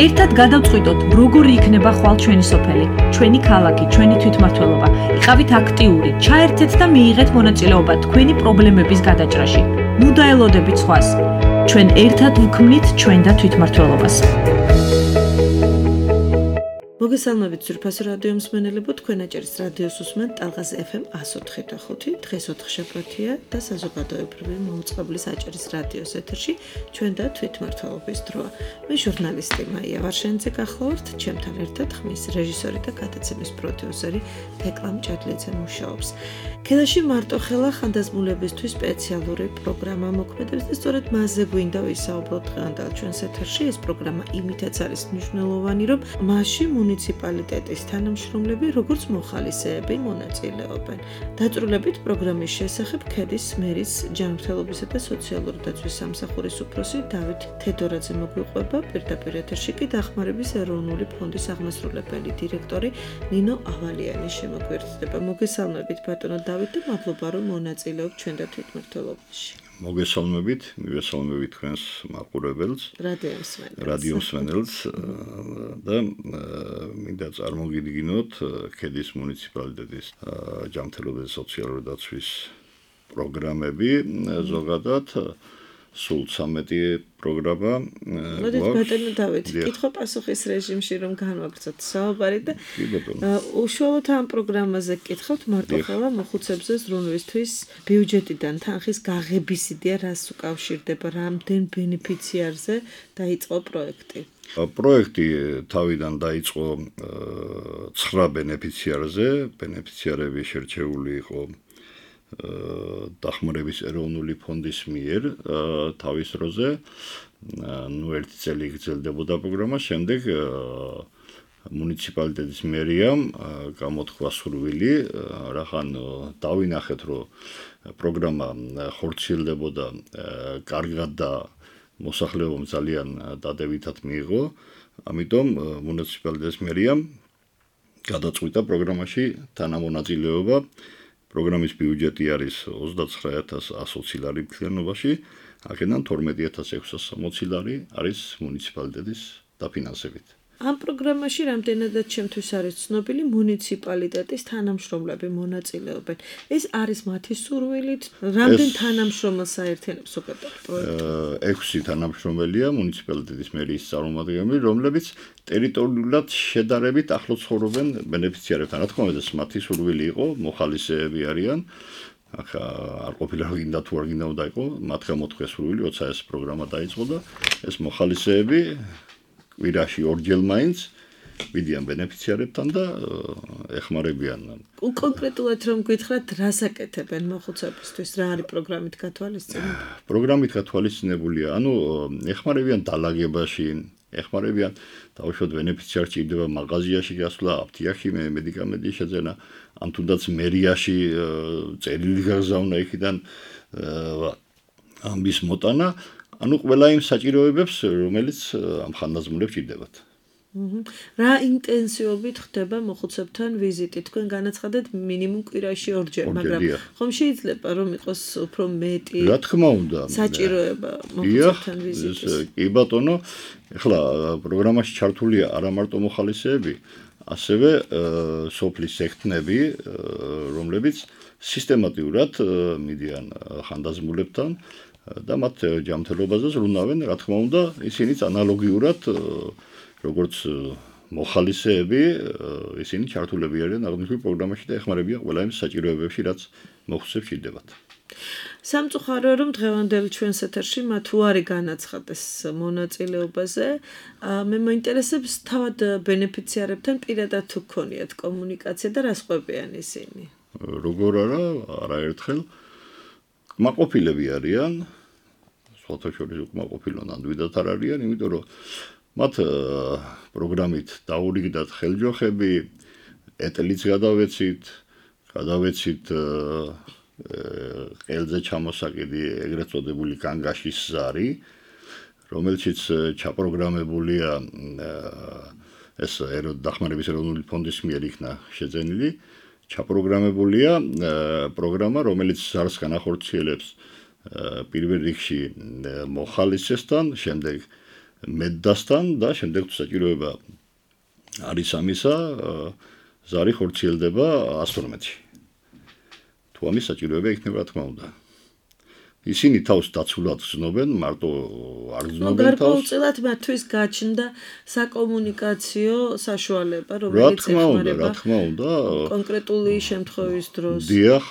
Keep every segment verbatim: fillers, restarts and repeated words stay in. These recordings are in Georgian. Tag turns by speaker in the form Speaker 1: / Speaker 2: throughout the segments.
Speaker 1: ერთად გადავწყვიტოთ, როგორი იქნება ხვალ ჩვენი სოფელი, ჩვენი ქალაქი, ჩვენი თვითმმართველობა. იყავით აქტიური, ჩაერთეთ და მიიღეთ მონაწილეობა თქვენი პრობლემების გადაჭრაში. ნუ დაელოდებით სხვას. ჩვენ ერთად ვქმნით ჩვენ და თვითმმართველობას. მოგესალმებით ძვირფასო რადიო მსმენელებო, თქვენ აჭარის რადიოს უსმენთ ტალღას ეფ ემ εκατო ოთხი და ხუთი. დღეს ოთხშაბათია და საზოგადოებრივი მოუწყებლის აჭარის რადიოს ეთერში ჩვენ და თვითმმართველობის დროა. მე ჟურნალისტი მაია ვარშენიძე გახლავართ, ჩემთან ერთად ხმის რეჟისორი და გადაცემის პროდიუსერი თეკლა მჭადლიძე მუშაობს. ქედაში მარტოხელა ხანდაზმულებისთვის სპეციალური პროგრამა მოქმედებს და სწორედ მასზე გვინდა ვისაუბროთ დღევანდელ ჩვენს ეთერში. ეს პროგრამა იმითაც არის მნიშვნელოვანი, რომ მასში მუნიციპალიტეტის თანამშრომლები როგორც მოხალისეები მონაწილეობენ. დაწვრილებით პროგრამის შესახებ ქედის მერის ჯანმრთელობისა და სოციალური დაცვის სამსახურის უფროსი დავით თედორაძე მოგვიყვება, პირდაპირ ეთერში კი დახმარების ეროვნული ფონდის აღმასრულებელი დირექტორი ნინო ავალიანი შემოგვერთდება. მოგესალმებით ბატონო დავით და მადლობა რომ მონაწილეობთ ჩვენ და თვითმმართველობაში.
Speaker 2: მოგესალმებით, მივესალმებით თქვენს მაყურებელს, რადიო მსმენელს და მინდა წარმოგიდგინოთ ქედის მუნიციპალიტეტის ჯანმრთელობის სოციალური დაცვის პროგრამები, ზოგადად სულ ცამეტი პროგრამა.
Speaker 1: მოდით ბატონო დავით, კითხვა-პასუხის რეჟიმში რომ განვაგრძოთ საუბარი და უშუალოდ ამ პროგრამაზე გკითხავთ მარტოხელა მოხუცებზე ზრუნვისთვის ბიუჯეტიდან თანხის გაღების იდეა რას უკავშირდება, რამდენ ბენეფიციარზე დაიწყო პროექტი?
Speaker 2: პროექტი თავიდან დაიწყო ცხრა ბენეფიციარზე, ბენეფიციარები შერჩეული იყო დახმარების ეროვნული ფონდის მიერ თავის დროზე. ნუ ერთი წელი გრძელდებოდა პროგრამა, შემდეგ მუნიციპალიტეტის მერიამ გამოთქვა სურვილი, რახან დავინახეთ, რომ პროგრამა ხორციელდებოდა კარგად და მოსახლეობამ ძალიან დადებითად მიიღო, ამიტომ მუნიციპალიტეტის მერიამ გადაწყვიტა პროგრამაში თანამონაწილეობა. პროგრამის ბიუჯეტი არის ოცდაცხრა ათას ათი ლარი მთლიანობაში, აქედან თორმეტი ათას ექვსას სამოცი ლარი არის მუნიციპალიტეტის დაფინანსებით.
Speaker 1: ამ პროგრამაში რამდენადაც ჩემთვის არის ცნობილი მუნიციპალიტეტის თანამშრომლები მონაწილეობენ. ეს არის მათი სურვილით, რამდენ თანამშრომელს აერთიანებს ზოგადად პროექტი?
Speaker 2: ექვსი თანამშრომელია მუნიციპალიტეტის მერიის წარმომადგენლები, რომლებიც ტერიტორიულად შედარებით ახლო ცხოვრობენ ბენეფიციარებთან. რა თქმა უნდა, ეს მათი სურვილი იყო, მოხალისეები არიან. ახლა არ ყოფილა რომ გინდა თუ არ გინდა უნდა იყო, მათ გამოთქვეს სურვილი, როცა ეს პროგრამა დაიწყო და ეს მოხალისეები კვირაში ორჯერ მაინც მიდიან ბენეფიციარებთან და ეხმარებიან.
Speaker 1: კონკრეტულად რომ გითხრათ, რას აკეთებენ მოხუცებისთვის, რა არის პროგრამით გათვალისწინებული?
Speaker 2: პროგრამით გათვალისწინებულია, ანუ ეხმარებიან დალაგებაში, ეხმარებიან თავშოთ ბენეფიციარი ჭირდება მაღაზიაში გასვლა, აფთიაქში მედიკამენტის შეძენა, ან თუნდაც მერიაში წერილი გაგზავნა იქიდან ამბის მოტანა. ანუ ყველა იმ საჭიროებებს, რომელიც ამ ხანდაზმულებს ჭირდებათ.
Speaker 1: რა ინტენსივობით ხდება მოხუცებთან ვიზიტი? თქვენ განაცხადეთ მინიმუმ კვირაში ორჯერ, მაგრამ ხომ შეიძლება რომ იყოს უფრო მეტი?
Speaker 2: რა თქმა უნდა.
Speaker 1: საჭიროება მოხუცებთან ვიზიტის.
Speaker 2: კი ბატონო, ეხლა პროგრამაში ჩართულია არა მარტო მოხალისეები, ასევე სოფლის ექთნები, რომლებიც სისტემატურად მიდიან ხანდაზმულებთან და მათ ჯანმრთელობაზე ზრუნავენ, რა თქმა უნდა, ისინიც ანალოგიურად როგორც მოხალისეები, ისინი ჩართულები არიან აღნიშნულ პროგრამაში და ეხმარებიან ყველა იმ საჭიროებებში, რაც მოხუცებს ჭირდებათ.
Speaker 1: სამწუხაროა რომ დღევანდელ ჩვენს ეთერში მათ უარი განაცხადეს მონაწილეობაზე. მე მოინტერესებს თავად ბენეფიციარებთან პირადად თუ გქონიათ კომუნიკაცია და რას ყვებიან ისინი?
Speaker 2: როგორ არა, არაერთხელ კმაყოფილები არიან, სხვათა შორის უკმაყოფილო ნამდვილად არ არიან, იმიტომ რომ მათ პროგრამით დაურიგდათ ხელჯოხები, ეტლიც გადავეცით, გადავეცით ყელზე ჩამოსაკიდი ეგრეთ წოდებული განგაშის ზარი, რომელშიც ჩაპროგრამებულია ეს დახმარების ეროვნული ფონდის მიერ იქნა შეძენილი, ჩაპროგრამებულია პროგრამა, რომელიც ზარს განახორციელებს პირველ რიგში მოხალისესთან, შემდეგ მედდასთან და შემდეგ თუ საჭიროება არის ამისა, ზარი ხორციელდება ასი თორმეტი. თუ ამის საჭიროება იქნება, რა თქმა უნდა. ისინი თავს დაცულად გრძნობენ, მარტო არ გრძნობენ თავს.
Speaker 1: გარკვეულწილად მათთვის გაჩნდა საკომუნიკაციო საშუალება, რომელიც ეხმარება.
Speaker 2: რა თქმა უნდა,
Speaker 1: კონკრეტული შემთხვევის დროს.
Speaker 2: დიახ,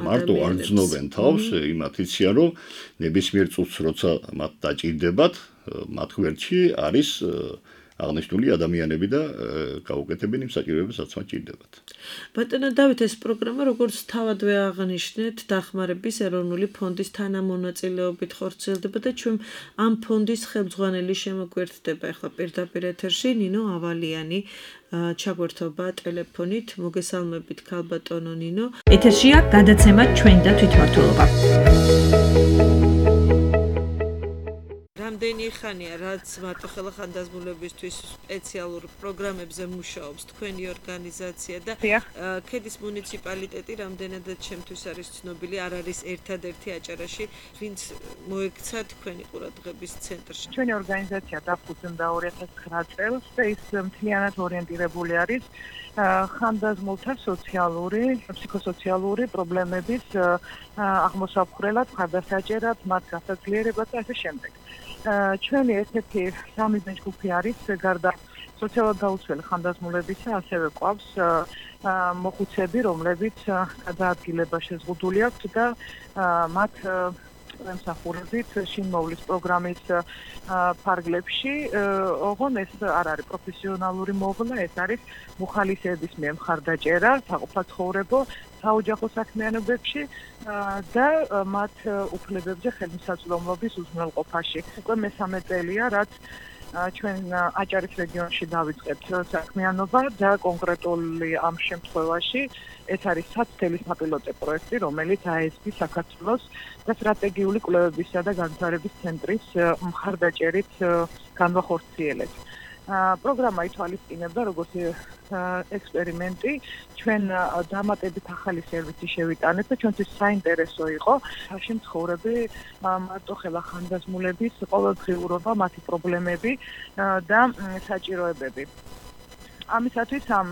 Speaker 2: მარტო არ გრძნობენ თავს, იმათ იციან, რომ ნებისმიერ წუთს როცა მათ დაჭირდებათ, მათ გვერდში არის აღნიშნული ადამიანები და გაუკეთებენ იმ საჭიროებებს, რაც მათ ჭირდებათ.
Speaker 1: ბატონო დავით, ეს პროგრამა როგორც თავადვე აღნიშნეთ, დახმარების ეროვნული ფონდის თანამონაწილეობით ხორციელდება და ჩვენ ამ ფონდის ხელმძღვანელი შემოგვერთდება ახლა პირდაპირ ეთერში ნინო ავალიანი ჩაგვერთობა ტელეფონით. მოგესალმებით ქალბატონო ნინო.
Speaker 3: ეთერშია გადაცემა ჩვენ და თვითმმართველობა.
Speaker 1: რამდენი ხანია რაც მარტოხელა ხანდაზმულებისთვის სპეციალურ პროგრამებზე მუშაობს თქვენი ორგანიზაცია და ქედის მუნიციპალიტეტი რამდენადაც ჩემთვის არის ცნობილი, არ არის ერთადერთი აჭარაში, ვინც მოექცა თქვენი ყურადღების ცენტრში.
Speaker 4: ჩვენი ორგანიზაცია დაფუძნდა ორი ათას ცხრა წელს და ის მთლიანად ორიენტირებული არის ხანდაზმულთა სოციალური, ფსიქოსოციალური პრობლემების აღმოსაფხვრელად, ხარდასაჭერად, მათ გასაძლიერებად და ასე შემდეგ. ჩვენი ერთ-ერთი სამიზნე ჯგუფი არის გარდა სოციალურად დაუცველი ხანდაზმულებისა, ასევე ყავს მოხუცები, რომლებიც გადაადგილება შეზღუდული აქვთ და მათ ემსახურებით შინმოვლის პროგრამის ფარგლებში, ოღონ ეს არ არის პროფესიონალური მოვლა, ეს არის მუხალისეების მიერ მხარდაჭერა, საყოფაცხოვრებო, საოჯახო საქმიანობებში და მათ უფლებებზე ხელმისაწვდომობის უზრუნველყოფაში. უკვე მესამე წელია, რაც ჩვენ აჭარის რეგიონში დავიწყეთ საქმიანობა და კონკრეტული ამ შემთხვევაში ეს არის საცდელის საპილოტო პროექტი, რომელიც эй ეს პი საქართველოს და სტრატეგიული კვლევებისა და განვითარების ცენტრის მხარდაჭერით განვახორციელეთ. პროგრამა ითვალისწინებდა როგორც ექსპერიმენტი, ჩვენ დამატებით ახალი სერვისი შევიტანეთ და ჩვენთვის საინტერესო იყო შემთხვევრები მარტოხელა ხანდაზმულების ყოველდღიურობა, მათი პრობლემები და საჭიროებები. ამისათვის ამ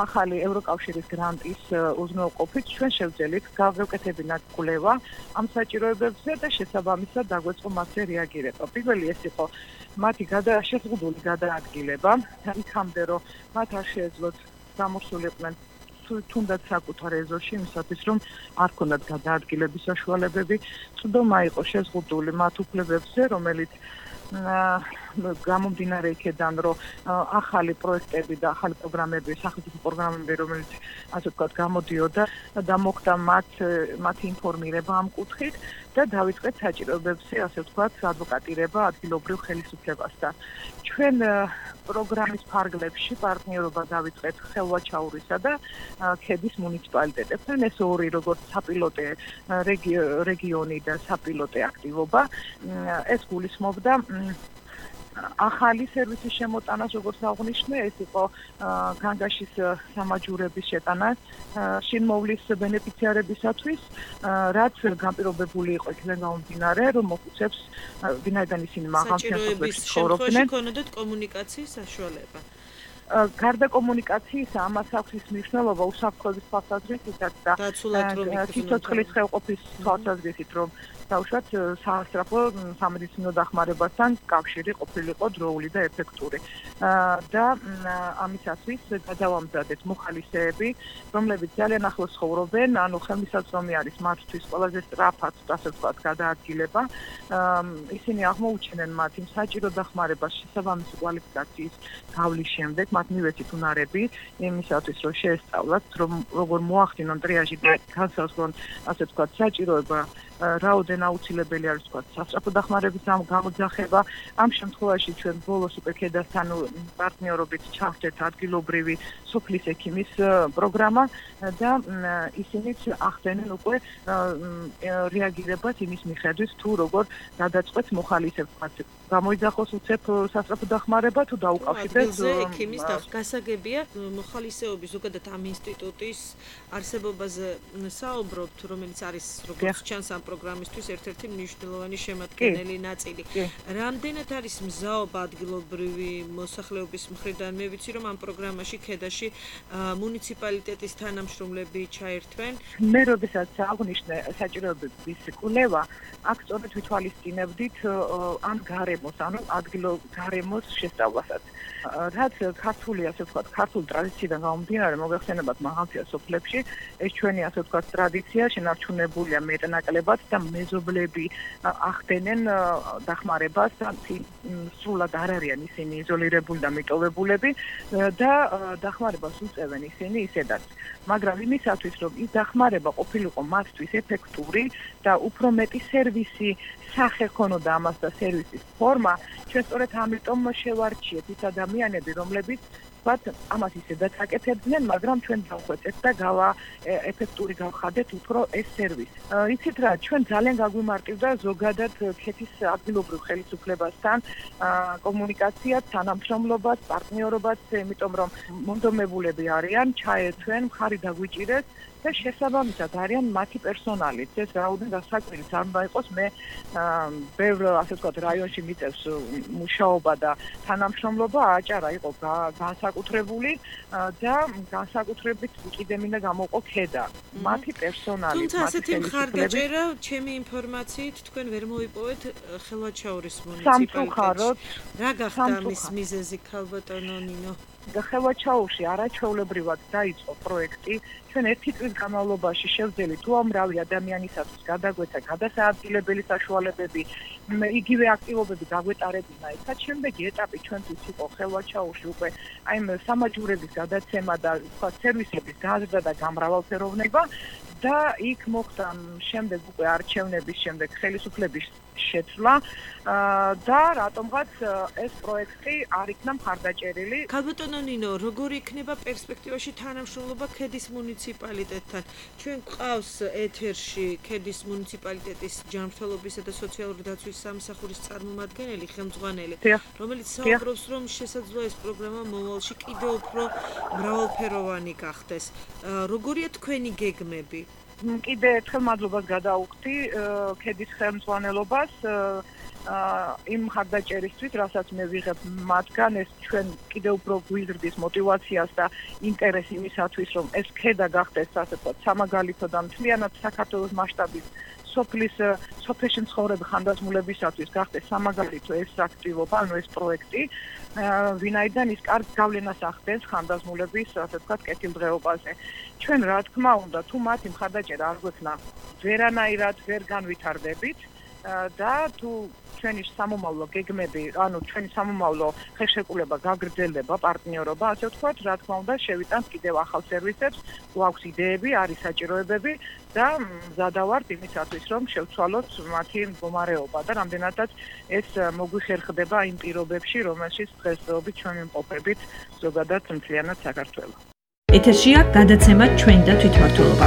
Speaker 4: ახალი ევროკავშირის გრანტის უზრუნველყოფით ჩვენ შევძელით გავეკეთებინათ კვლევა ამ საჭიროებებზე და შესაბამისად დაგვეწყო მასზე რეაგირება. პირველი ეს იყო მათი შეზღუდული გადაადგილება, იქამდე რომ მათ არ შეეძლოთ გამოსულიყვნენ თუნდაც საკუთარ ეზოში, იმისათვის რომ არ ქონდათ გადაადგილების საშუალებები, წვდომა იყო შეზღუდული მათ უფლებებზე, რომელიც გამომდინარე იქედან, რომ ახალი პროექტები და ახალი პროგრამები, სახელმწიფო პროგრამები, რომელიც ასე ვთქვათ, გამოდიოდა და მოხდა მათ მათი ინფორმირება ამ კუთხით და დავიწყეთ საჭიროებებზე, ასე ვთქვათ, ადვოკატირება ადგილობრივ ხელისუფლებასთან. ჩვენ პროგრამის ფარგლებში პარტნიორობა დავიწყეთ ხელვაჩაურისა და ქედის მუნიციპალიტეტებთან. ეს ორი როგორც საპილოტე რეგიონი და საპილოტე აქტივობა, ეს გულისხმობდა ახალი სერვისის შემოტანას, როგორც აღნიშნე, ეს იყო განგაშის სამაჯურების შეტანა შინმოვლის ბენეფიციარებისათვის, რაც განპირობებული იყო იქიდან გამომდინარე, რომ მოხუცებს ვინაიდან ისინი მაღალ შემთხვევაში ცხოვრობდნენ,
Speaker 1: ქონოდათ კომუნიკაციის საშუალება.
Speaker 4: გარდა კომუნიკაციისა, ამას აქვს ის მნიშვნელობა უსაფრთხოების თვალსაზრისითაც და სიცოცხლის ხელყოფის თვალსაზრისით, რომ თავშოთ საასტრაფო სამედიცინო დახმარებასთან კავშირი ყოფილიყო დროული და ეფექტური. და ამისათვის გადავამზადეთ მოხალისეები, რომლებიც ძალიან ახლოს ცხოვრობენ, ანუ ხელმისაწვდომი არის მათთვის ყველაზე სწრაფად, ასე ვთქვათ, გადაადგილება. ისინი აღმოუჩენენ მათ იმ საჭირო დახმარებას შესაბამისი კვალიფიკაციის გავლის შემდეგ, მათ მივეცით უნარები იმისათვის, რომ შეესწავლათ, რომ როგორ მოახდინონ ტრიაჟი და განსაზღვრონ, ასე ვთქვათ, საჭიროება რაოდენ აუცილებელი არის თქვა სასწრაფო დახმარების გამოძახება. ამ შემთხვევაში ჩვენ ბოლოს უკვე ქედასთან პარტნიორობით ჩავხდეთ ადგილობრივი სოფლის ექიმის პროგრამა და ისინიც ახდენენ უკვე რეაგირებას იმის მიხედვით, თუ როგორ გადაწყვეტს მოხალისებს გამოიძახოს უცებ სასწრაფო დახმარება თუ დაუკავშირდეს
Speaker 1: ექიმის გასაგებია მოხალისეობის ზოგადად ამ ინსტიტუტის არსებობაზე საუბრობთ, რომელიც არის როგორც ჩანს ამ პროგრამისთვის ერთ-ერთი მნიშვნელოვანი შემადგენელი ნაწილი. რამდენად არის მზაობა ადგილობრივი მოსახლეობის მხრიდან? მე ვიცი, რომ ამ პროგრამაში ქედაში მუნიციპალიტეტის თანამშრომლები ჩაერთვენ.
Speaker 4: მე როდესაც აღნიშნე საჭიროებების კვლევა, აქ სწორედ ვითვალისწინებდით ამ გარემოს, ანუ ადგილო გარემოს შესწავლასაც. რაც ქართული, ასე ვთქვათ, ქართული ტრადიციიდან გამომდინარე, მოგეხსენებათ მაღალმთიან სოფლებში, ეს ჩვენი, ასე ვთქვათ, ტრადიცია შენარჩუნებულია მეტნაკლებად და მეზობლები ახდენენ დახმარებას და სრულად არ არიან ისინი იზოლირებული და მიტოვებულები და დახმარებას უწევენ ისინი ისედაც. მაგრამ იმისათვის, რომ ის დახმარება ყოფილიყო მათთვის ეფექტური და უფრო მეტი სერვისი სახე ქონოდა ამას და სერვისის ფორმა, ჩვენ სწორედ ამიტომ შევარჩიეთ ის ადამიანები, რომლებიც ვთქვათ, ამას ისედაც აკეთებდნენ, მაგრამ ჩვენ დავხვეწეთ და გავა ეფექტური გავხადეთ უფრო ეს სერვისი. იცით რა, ჩვენ ძალიან გაგვიმარტივდა ზოგადად ქეთის ადგილობრივ ხელისუფლებასთან კომუნიკაცია, თანამშრომლობაც, პარტნიორობაც, იმიტომ რომ მონდომებულები არიან, ჩაერთვენ, მხარი დაგვიჭირეს და შესაბამისად არიან მათი პერსონალიც. ეს რაოდენობა საკვირიც არ უნდა იყოს, მე ბევრ, ასე ვთქვათ, რაიონში მიწევს მუშაობა და თანამშრომლობა აჭარა იყო განსაკუთრებული და განსაკუთრებით კიდე მინდა გამოვყო ქედა. მათი პერსონალი,
Speaker 1: თუმცა ასეთი მხარდაჭერა, ჩემი ინფორმაციით, თქვენ ვერ მოიპოვეთ ხელვაჩაურის მუნიციპალიტეტში. რა გახდა ამის მიზეზი, ქალბატონო ნინო?
Speaker 4: ხელვაჩაურში არაჩვეულებრივად დაიწყო პროექტი. ჩვენ ერთი წლის განმავლობაში შევძელით უამრავი ადამიანისათვის გადაგვეცა გადასაადგილებელი საშუალებები, იგივე აქტივობები გაგვეტარებინა. ეხლა შემდეგი ეტაპი ჩვენთვის იყო ხელვაჩაურში უკვე აი სამაჯურების გადაცემა და სხვა სერვისების გაზრდა და გამრავალფეროვნება და იქ მოხდა შემდეგ უკვე არჩევნების შემდეგ ხელისუფლების შეცვლა და რატომღაც ეს პროექტი არ იქნა მხარდაჭერილი.
Speaker 1: ქალბატონო ნინო, როგორი იქნება პერსპექტივაში თანამშრომლობა ქედის მუნიციპალიტეტთან? ჩვენ გვყავს ეთერში ქედის მუნიციპალიტეტის ჯანმრთელობისა და სოციალური დაცვის სამსახურის წარმომადგენელი, ხელმძღვანელი, რომელიც საუბრობს, რომ შესაძლოა ეს პროგრამა მომავალში კიდევ უფრო მრავალფეროვანი გახდეს. როგორია თქვენი გეგმები?
Speaker 4: კიდე ერთხელ მადლობას გადაუხდი ქედის ხელმძღვანელობას იმ მხარდაჭერისთვის, რასაც მე ვიღებ მათგან, ეს ჩვენ კიდევ უფრო გვიზრდის მოტივაციას და ინტერესს იმისათვის, რომ ეს ქედა გახდეს, ასე ვთქვათ, სამაგალითო და მთლიანად საქართველოს მასშტაბის სოფლის სოფელში მცხოვრები ხანდაზმულებისათვის გახდეს სამაგალითო ეს აქტივობა, ანუ ეს პროექტი, ვინაიდან ის კარგ გავლენას ახდენს ხანდაზმულების, ასე ვთქვათ, კეთილდღეობაზე. ჩვენ რა თქმა უნდა, თუ მათი მხარდაჭერა არ გვექნა, ვერანაირად ვერ განვითარდებით და თუ ჩვენი სამომავლო გეგმები, ანუ ჩვენი სამომავლო ხელშეკრულება გაგრძელდება, პარტნიორობა, ასე ვთქვათ, რა თქმა უნდა, შევიტანთ კიდევ ახალ სერვისებს, გვაქვს იდეები, არის საჭიროებები და მზადავართ იმისათვის, რომ შევცვალოთ მათი მდგომარეობა და რამდენადაც ეს მოგვიხერხდება იმ პირობებში, რომელშიც დღესდღეობით ჩვენ ვიმყოფებით ზოგადად მთლიანად საქართველოს.
Speaker 3: ეთერშია გადაცემა ჩვენ და თვითმმართველობა.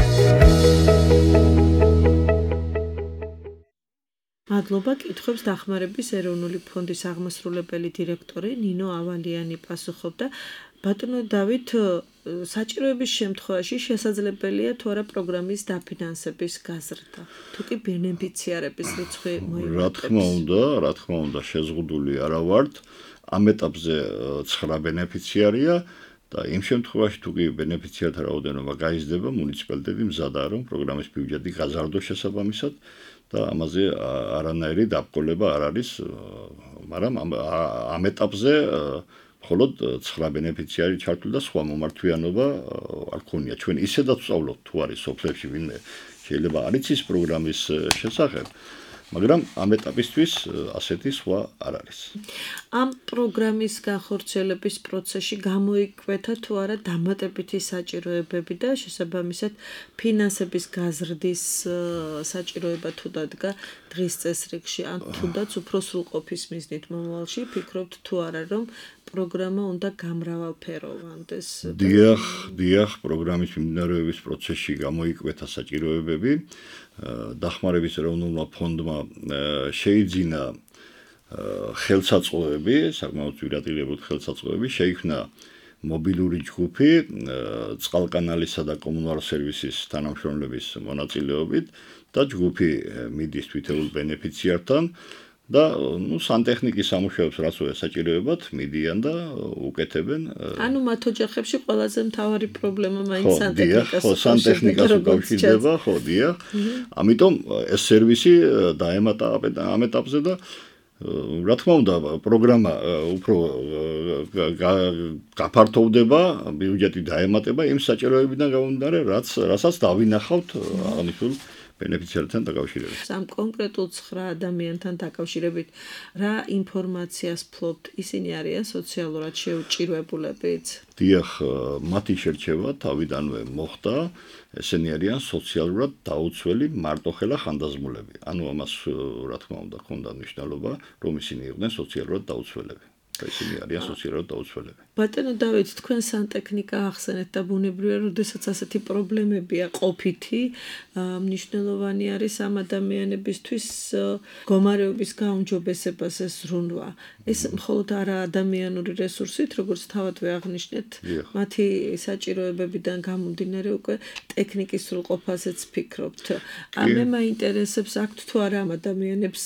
Speaker 1: მადლობა, კითხვებს დახმარების ეროვნული ფონდის აღმასრულებელი დირექტორი ნინო ავალიანი პასუხობდა. ბატონო დავით, საჭიროების შემთხვევაში შესაძლებელია თუ არა პროგრამის დაფინანსების გაზრდა, თუ კი ბენეფიციარების რიცხვი მოიმატებს?
Speaker 2: რა თქმა უნდა, რა თქმა უნდა, შეზღუდული არა ვართ. ამ ეტაპზე ცხრა ბენეფიციარია და იმ შემთხვევაში თუ კი ბენეფიციართა რაოდენობა გაიზრდება, მუნიციპალიტეტი მზადაა, რომ პროგრამის ბიუჯეტი გაზარდოს შესაბამისად და ამაზე არანაირი დაბრკოლება არ არის, მაგრამ ამ ეტაპზე მხოლოდ ცხრა ბენეფიციარი ჩართული და სხვა მომართვიანობა არ ქონია. ჩვენ ისედაც ვსწავლობთ თუ არის სოფლებში ვინმე შეიძლება არ იცის პროგრამის შესახებ, მაგრამ ამ ეტაპისთვის ასეთი სხვა არ არის.
Speaker 1: ამ პროგრამის განხორციელების პროცესში გამოიკვეთა თუ არა დამატებითი საჭიროებები და შესაბამისად ფინანსების გაზრდის საჭიროება თუ დადგა დღის წესრიგში, ან თუნდაც უფრო სრულყოფის მიზნით მომავალში, ფიქრობთ თუ არა, რომ პროგრამა უნდა გამრავალფეროვანდეს?
Speaker 2: დიახ, დიახ, პროგრამის მიმდინარეობის პროცესში გამოიკვეთა საჭიროებები. დახმარების ეროვნულმა ფონდმა შეიძინა ხელსაწყოები, საკმაოდ ძვირადღირებული ხელსაწყოები შეიქმნა მობილური ჯგუფი წყალკანალისა და კომუნალურ სერვისის თანამშრომლების მონაწილეობით და ჯგუფი მიდის თვითეულ ბენეფიციართან და ნუ სანტექნიკის სამუშაოებს რაც საჭიროებად მიდიან და უკეთებენ.
Speaker 1: ანუ მათ ოჯახებში ყველაზე მთავარი პრობლემა მაინც
Speaker 2: სანტექნიკას ხო სანტექნიკას უკავშირდება, ხო, დიახ. ამიტომ ეს სერვისი დაემატა ამ ეტაპზე და რა თქმა უნდა პროგრამა უფრო გაფართოვდება, ბიუჯეტი დაემატება იმ საჭიროებიდან გამომდინარე, რაც რასაც დავინახავთ აღნიშნულ ბენეფიციართან დაკავშირებით.
Speaker 1: ამ კონკრეტულ ცხრა ადამიანთან დაკავშირებით რა ინფორმაციას ფლობთ? ისინი არიან სოციალურად შეუჭირვებულებიც?
Speaker 2: დიახ, მათი შერჩევა თავიდანვე მოხდა, ესენი არიან სოციალურად დაუცველი მარტოხელა ხანდაზმულები. ანუ ამას რა თქმა უნდა ჰქონდა მნიშვნელობა, რომ ისინი იყვნენ სოციალურად დაუცველები. ისინი არიან სოციალურად დაუცველები.
Speaker 1: ბატონო დავით, თქვენ სანტექნიკა ახსენეთ და ბუნებრივია, როდესაც ასეთი პრობლემებია ყოფითი, მნიშვნელოვანი არის ამ ადამიანებისთვის მდგომარეობის გაუმჯობესებას ეს ზრუნვა. ეს მხოლოდ არა ადამიანური რესურსით, როგორც თავადვე აღნიშნეთ, მათი საჭიროებებიდან გამომდინარე უკვე ტექნიკის სრულყოფაზეც ფიქრობთ. მე მაინტერესებს, აქვთ თუ არა ამ ადამიანებს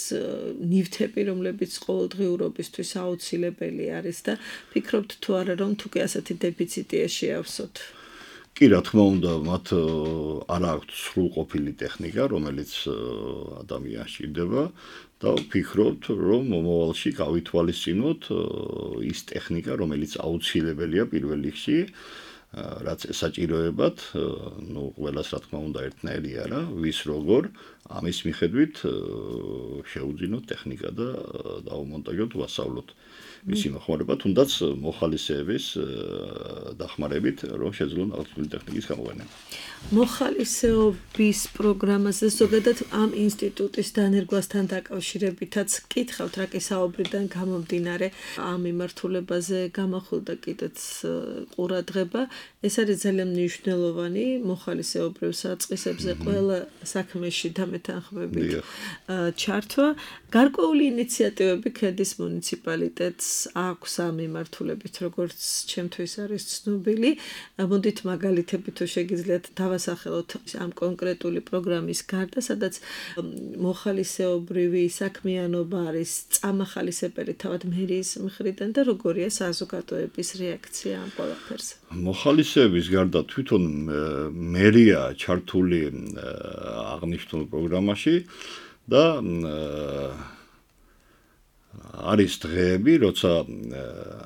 Speaker 1: ნივთები, რომლებიც ყოველდღიურობისთვის აუცილებელი არის და ფიქრობთ თუ არა რომ თუ კი ასეთი დეფიციტია შეავსოთ?
Speaker 2: კი, რა თქმა უნდა, მათ არ აქვთ სრულყოფილი ტექნიკა, რომელიც ადამიანს სჭირდება და ვფიქრობთ, რომ მომავალში გავითვალისწინოთ ის ტექნიკა, რომელიც აუცილებელია პირველ რიგში, რაც ესაჭიროებად, ნუ ყველას რა თქმა უნდა ერთნაირი არა, ვის როგორ, ამის მიხედვით შეუძინოთ ტექნიკა და დავუმონტაჟოთ, ვასწავლოთ. მისი მოხმარება, თუნდაც მოხალისეების დახმარებით, რომ შეძლონ აღნიშნული ტექნიკის გამოყენება.
Speaker 1: მოხალისეობის პროგრამაზე ზოგადად ამ ინსტიტუტის დანერგვასთან დაკავშირებითაც კითხავთ, რა კი საუბრიდან გამომდინარე ამ მიმართულებაზე გამახვილდა კიდეც ყურადღება. ეს არის ძალიან მნიშვნელოვანი მოხალისეობრივ საწყისებზე ყველა საქმეში დამეთანხმებით ჩართვა. გარკვეული ინიციატივები ქედის მუნიციპალიტეტს აქვს ამ მიმართულებით, როგორც ჩემთვის არის ცნობილი. მოდით მაგალითები თუ შეგიძლიათ დავასახელოთ ამ კონკრეტული პროგრამის გარდა, სადაც მოხალისეობრივი საქმიანობა არის წამახალისებელი თავად მერიის მხრიდან და როგორია საზოგადოების რეაქცია ამ ყველაფერზე?
Speaker 2: მოხალისეების გარდა თვითონ მერია ჩართული აღნიშნულ პროგრამაში და არის დღეები, როცა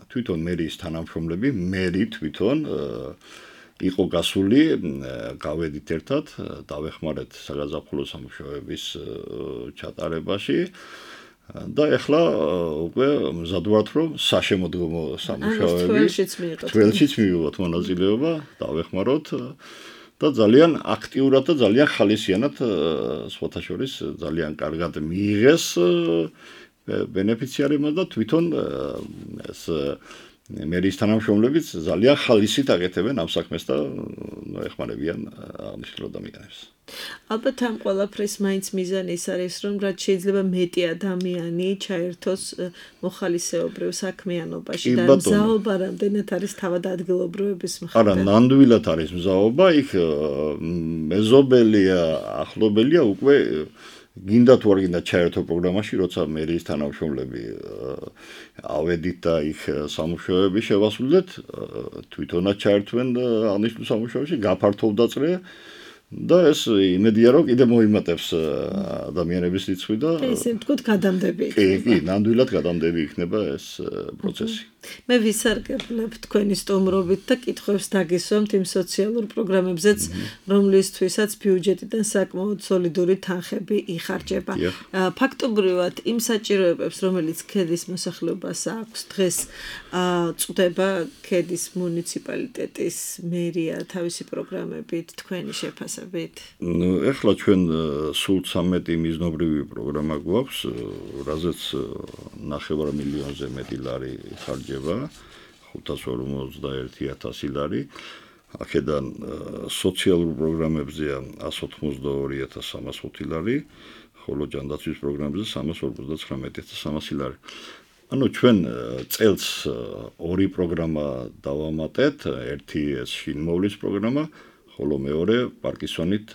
Speaker 2: თვითონ მერიის თანამშრომლები, მერი თვითონ იყო გასული, გავედით ერთად, დავეხმარეთ საგაზაფხულო სამუშაოების ჩატარებაში და ეხლა უკვე მზად ვართ, რომ საშემოდგომო სამუშაოები თველშიც მივიღოთ მონაწილეობა, დავეხმაროთ და ძალიან აქტიურად და ძალიან ხალისიანად სხვათა შორის ძალიან კარგად მიიღეს ბენეფიციარებმა და თვითონ ეს მერიის თანამშრომლებიც ძალიან ხალისით აკეთებენ ამ საქმეს და ეხმარებიან აღნიშნულ ადამიანებს.
Speaker 1: ალბათ ამ ყველაფრის მაინც მიზანი ის არის, რომ რაც შეიძლება მეტი ადამიანი ჩაერთოს მოხალისეობრივ საქმიანობაში და მზაობა რამდენად არის თავად ადგილობრივების მხრიდან.
Speaker 2: არა, ნამდვილად არის მზაობა, იქ მეზობელია, ახლობელია უკვე გინდა თუ არ გინდა ჩაერთო პროგრამაში, როცა მერიის თანამშრომლები ავედით და იქ სამუშაოები შევასრულეთ, თვითონაც ჩაერთვენ აღნიშნულ სამუშაოში, გაფართოვდა წრე და ეს იმედია რომ კიდე მოიმატებს ადამიანების რიცხვი და
Speaker 1: ესე ვთქვათ გადამდები
Speaker 2: კი, კი, ნამდვილად გადამდები იქნება ეს პროცესი.
Speaker 1: მე ვისარგებლებ თქვენი სტუმრობით და კითხვებს დაგისვამთ იმ სოციალურ პროგრამებზეც, რომლისთვისაც ბიუჯეტიდან საკმაოდ სოლიდური თანხები იხარჯება. ფაქტობრივად იმ საჭიროებებს, რომელიც ქედის მოსახლეობას აქვს, დღეს წვდება ქედის მუნიციპალიტეტის მერია თავისი პროგრამებით, თქვენი შეფასებით.
Speaker 2: ნუ ეხლა ჩვენ სულ ცამეტი მიზნობრივი პროგრამა გვაქვს, რაზეც ნახევარ მილიონზე მეტი ლარი ხარჯება. ხუთას ორმოცდაერთი ათასი ლარი. აქედან სოციალურ პროგრამებზეა ასი ოცდაორი ათას სამას ხუთი ლარი, ხოლო ჯანდაცვის პროგრამებზე სამას ორმოცდათხრამეტი ათას სამასი ლარი. ანუ ჩვენ წელს ორი პროგრამა დავამატეთ, ერთი ეს შინმოვლის პროგრამა, ხოლო მეორე პარკინსონით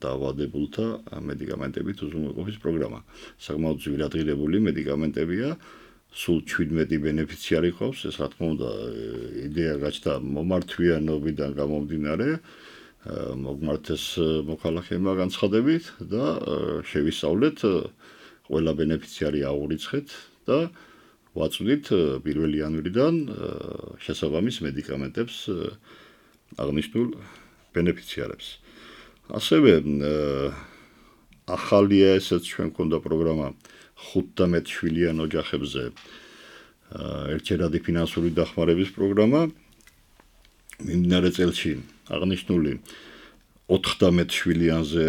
Speaker 2: დაავადებულთა მედიკამენტებით უზრუნველყოფის პროგრამა. საკმაოდ ძვირადღირებული მედიკამენტებია, სულ შვიდმეტი ბენეფიციარი ყავს, ეს რა თქმა უნდა იდეა გაჩნდა მომართვიანობიდან გამომდინარე, მოგმართეს მოქალაქეებმა განცხადებით და შევისწავლეთ ყველა ბენეფიციარი აურიცხეთ და ვაწვდით პირველი იანვრიდან შესაბამის მედიკამენტებს აღნიშნულ ბენეფიციარებს. ასევე ახალია ესეც ჩვენ გვქონდა პროგრამა ხუთდამეტ შვილიან ოჯახებზე ერთჯერადი ფინანსური დახმარების პროგრამა. მიმდინარე წელში აღნიშნული ოთხდამეტ შვილიანზე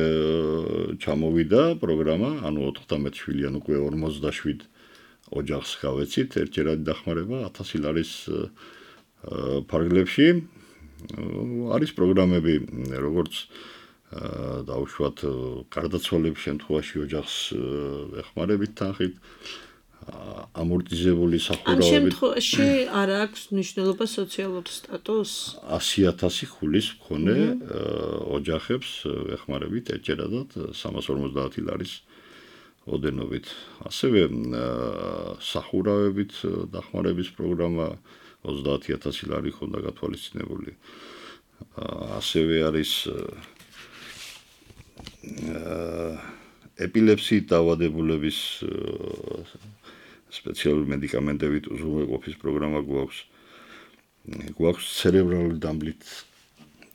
Speaker 2: ჩამოვიდა პროგრამა, ანუ ოთხდამეტ შვილიან უკვე ორმოცდაშვიდ ოჯახს გავეცით ერთჯერადი დახმარება ათასი ლარის ფარგლებში. არის პროგრამები, როგორც დაუშვათ გარდაცვალების შემთხვევაში ოჯახს ეხმარებით თანხით, ამორტიზებული სახურავებით.
Speaker 1: ამ შემთხვევაში არ აქვს მნიშვნელობა სოციალურ სტატუსს?
Speaker 2: ასი ათასი ხულის მქონე ოჯახებს ეხმარებით ერთჯერადად სამას ორმოცდაათი ლარის ოდენობით. ასევე სახურავებით დახმარების პროგრამა ოცდაათი ათასი ლარი ხონდა გათვალისწინებული. ასევე არის ეპილეფსიით დაავადებულების სპეციალური მედიკამენტებით უზრუნველყოფის პროგრამა გვაქვს. გვაქვს ცერებრალური დამბლით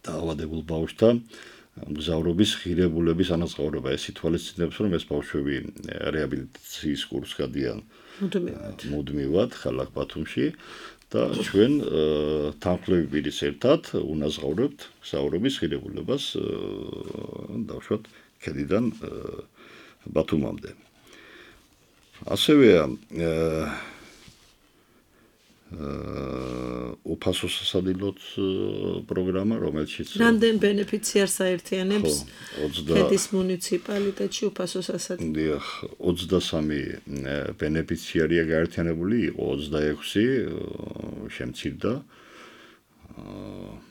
Speaker 2: დაავადებულ ბავშვთა მგზავრობის ღირებულების ანაზღაურება. ეს ითვალისწინებს, რომ ეს ბავშვები რეაბილიტაციის კურსს გადიან მუდმივად ხალხ ბათუმში და ჩვენ თანხმლები პირის ერთად უნაზღაურებთ მგზავრობის ღირებულებას დავშვათ ქედიდან ბათუმამდე. ასევე უფასო სასადილოთ პროგრამა, რომელშიც
Speaker 1: რამდენ ბენეფიციარს აერთიანებს ქედის მუნიციპალიტეტში უფასო სასადილო?
Speaker 2: დიახ, ოცდასამი ბენეფიციარია გაერთიანებული, იყო ოცდაექვსი შემცირდა.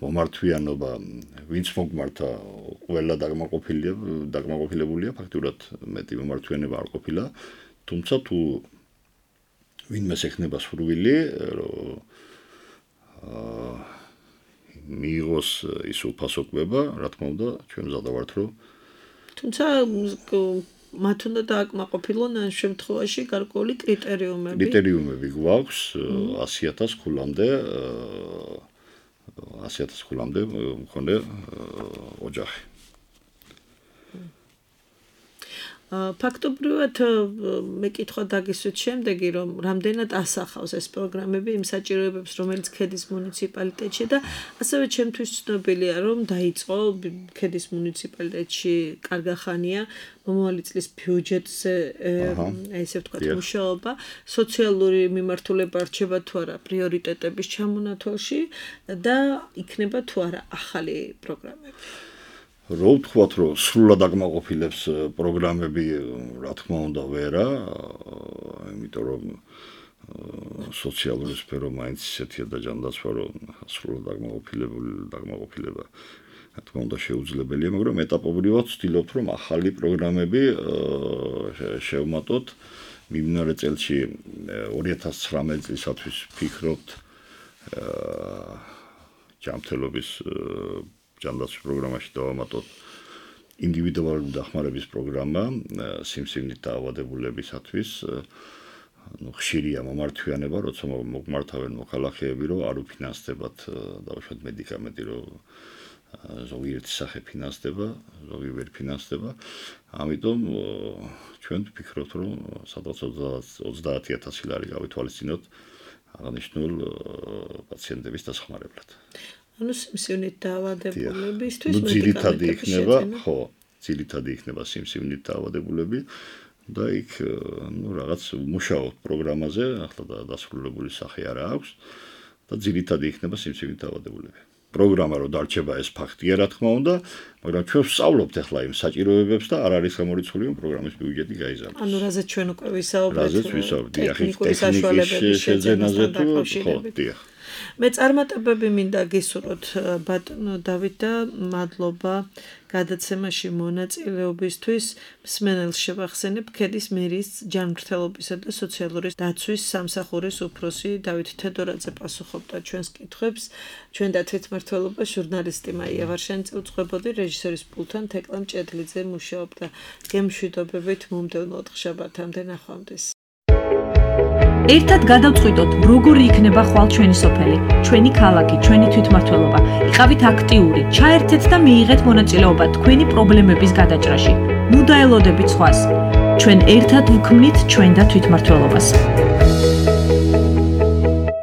Speaker 2: მომართვიანობა, ვინც მოგმართა, ყველა დაგმაყოფილია, დაგმაყოფილებულია, ფაქტურად მეტი მომართვიანება არ ყოფილა, თუმცა თუ ვინმეს ექნება სურვილი, მიიღოს ის უფასო კვება, რა თქმა უნდა, ჩვენ მზად ვართ, რომ
Speaker 1: თუმცა მათ უნდა დააკმაყოფილონ ამ შემთხვევაში გარკვეული კრიტერიუმები.
Speaker 2: კრიტერიუმები გვაქვს ასი ათას ქულამდე, ასი ათას ქულამდე მქონე ოჯახი.
Speaker 1: ფაქტობრივად მეკითხვა დაგისვით შემდეგი, რომ რამდენად ასახავს ეს პროგრამები იმ საჭიროებებს, რომელიც ქედის მუნიციპალიტეტში და ასევე ჩემთვის ცნობილია, რომ დაიწყო ქედის მუნიციპალიტეტში კარგახანია მომავალი წლის ბიუჯეტზე, აი ესე ვთქვათ, მუშაობა, სოციალური მიმართულება რჩება თუ არა პრიორიტეტების ჩამონათვალში და იქნება თუ არა ახალი პროგრამები.
Speaker 2: რო ვთქვათ, რომ სრულად დაგმაყოფილებს პროგრამები, რა თქმა უნდა, ვერა, იმიტომ რომ სოციალური სფერო მაინც ისეთია და ჯანდაცვა, რომ სრულად დაგმაყოფილებული დაგმაყოფილება, რა თქმა უნდა, შეუძლებელია, მაგრამ ეტაპობრივად ვცდილობთ, რომ ახალი პროგრამები შევმატოთ. მიმდინარე წელში ორი ათას ცხრამეტი წლისათვის ვფიქრობთ ჯანმრთელობის ჯანდაცვის პროგრამაში დავამატოთ ინდივიდუალური დახმარების პროგრამა სიმსივნით დაავადებულებისათვის. ნუ ხშირია მომართვიანება, როცა მოგმართავენ მოქალაქეები, რომ არ უფინანსდებათ დავუშვათ მედიკამენტი, რომ ზოგიერთი სახე ფინანსდება, ზოგი ვერ ფინანსდება. ამიტომ ჩვენ ვფიქრობთ, რომ სადღაც ოცდაათი ათასი ლარი გავითვალისწინოთ აღნიშნულ პაციენტების დასახმარებლად.
Speaker 1: ანუ სიმსივნით დაავადებულებისთვის
Speaker 2: ძირითადი იქნება, ხო, ძირითადი იქნება სიმსივნით დაავადებულები და იქ ნუ რაღაც მუშაობთ პროგრამაზე, ახლა დასრულებული სახე არა აქვს და ძირითადი იქნება სიმსივნით დაავადებულები. პროგრამა რო დარჩება ეს ფაქტია რა თქმა უნდა, მაგრამ ჩვენ ვსწავლობთ ახლა იმ საჭიროებებს და არ არის გამორიცხული რომ პროგრამის ბიუჯეტი გაიზარდოს.
Speaker 1: ანუ რაზეც ჩვენ უკვე ვისაუბრეთ.
Speaker 2: რაზეც ვისაუბრეთ, ტექნიკის შეძენაზე თუ ხო, დიახ.
Speaker 1: მე წარმატებები მინდა გისურვოთ ბატონო დავით და მადლობა გადაცემაში მონაწილეობისთვის. მსმენელს შევახსენებ ქედის მერის ჯანმრთელობისა და სოციალური დაცვის სამსახურის უფროსი დავით თედორაძე პასუხობდა ჩვენს კითხვებს. ჩვენ და თვითმმართველობა ჟურნალისტი მაია ვარშენიძე უძღვებოდი, რეჟისორის პულტთან თეკლა მჭედლიძე მუშაობდა. გემშვიდობებით მომდევნო ოთხშაბათამდე ნახვამდის.
Speaker 3: ერთად გადავწყვიტოთ, როგორი იქნება ხვალ ჩვენი სოფელი, ჩვენი ქალაქი, ჩვენი თვითმმართველობა. იყავით აქტიური, ჩაერთეთ და მიიღეთ მონაწილეობა თქვენი პრობლემების გადაჭრაში. ნუ დაელოდებით სხვას. ჩვენ ერთად ვქმნით ჩვენ და თვითმმართველობას.